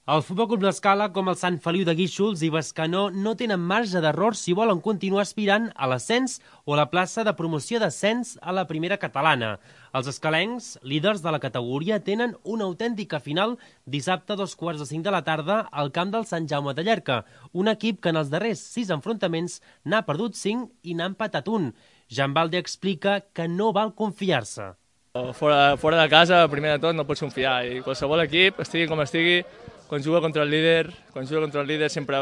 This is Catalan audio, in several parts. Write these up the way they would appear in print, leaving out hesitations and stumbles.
El Futbol Club L'Escala, com el Sant Feliu de Guíxols i Bescanó, no tenen marge d'error si volen continuar aspirant a l'ascens o a la plaça de promoció d'ascens a la primera catalana. Els escalencs, líders de la categoria, tenen una autèntica final dissabte a 2:45 de la tarda al camp del Sant Jaume de Llierca, un equip que en els darrers 6 enfrontaments n'ha perdut 5 i n'ha empatat 1. Jan Balde explica que no val confiar-se. Fora de casa, primer de tot, no pots confiar. I qualsevol equip, estigui com estigui, quan juga contra el líder sempre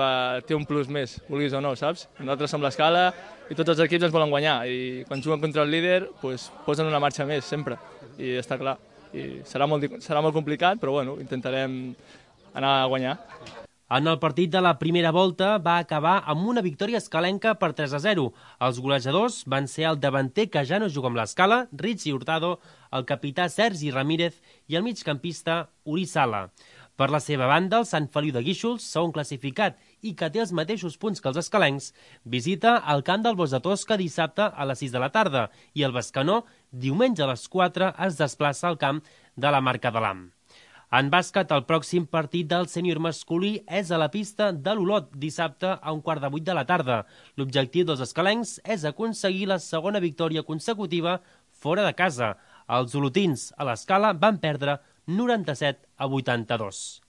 té un plus més, vulguis o no, saps? Nosaltres som l'Escala i tots els equips ens volen guanyar i quan juguen contra el líder posen una marxa més, sempre, i està clar. I serà molt complicat, però bueno, intentarem anar a guanyar. En el partit de la primera volta va acabar amb una victòria escalenca per 3-0. Els golejadors van ser el davanter que ja no juga amb l'Escala, Richie Hurtado, el capità Sergi Ramírez i el migcampista Uri Sala. Per la seva banda, el Sant Feliu de Guíxols, segon classificat i que té els mateixos punts que els escalencs, visita el camp del Bosc de Tosca dissabte a les 6 de la tarda i el Bescanó, diumenge a les 4, es desplaça al camp de la Marca de l'Am. En bàsquet, el pròxim partit del sènior masculí és a la pista de l'Olot, dissabte a 7:15 de la tarda. L'objectiu dels escalencs és aconseguir la segona victòria consecutiva fora de casa. Els olotins a l'Escala van perdre 97-82.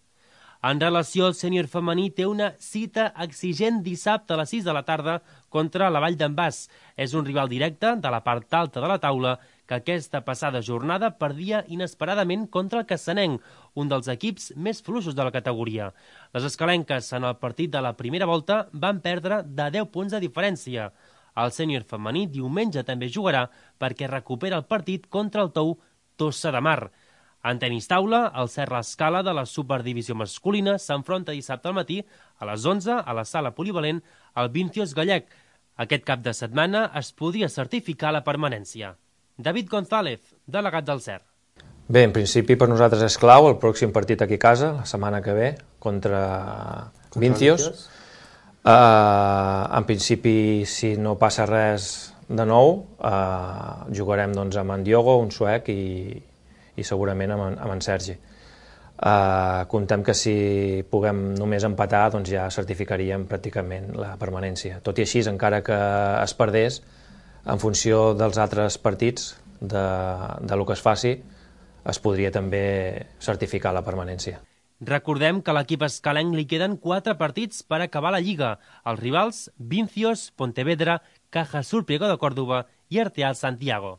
En relació al sènior femení, té una cita exigent dissabte a les 6 de la tarda contra la Vall d'en Bas. És un rival directe de la part alta de la taula que aquesta passada jornada perdia inesperadament contra el Cassanenc, un dels equips més fluixos de la categoria. Les escalenques en el partit de la primera volta van perdre de 10 punts de diferència. El sènior femení diumenge també jugarà perquè recupera el partit contra el Tou Tossa de Mar. En tenis taula, el Serra Escala de la Superdivisió masculina s'enfronta dissabte al matí a les 11 a la sala polivalent al Vincios Gallec. Aquest cap de setmana es podria certificar la permanència. David González, delegat del CER. Bé, en principi per nosaltres és clau el pròxim partit aquí a casa, la setmana que ve, contra Vincios. En principi, si no passa res de nou, jugarem amb en Diogo, un suec, i segurament amb en Sergi. Comptem que si puguem només empatar, doncs ja certificaríem pràcticament la permanència. Tot i així, encara que es perdés, en funció dels altres partits, del que es faci, es podria també certificar la permanència. Recordem que a l'equip escalenc li queden 4 partits per acabar la Lliga. Els rivals, Vincios, Pontevedra, Caja Sur Priego de Córdoba i Arteal Santiago.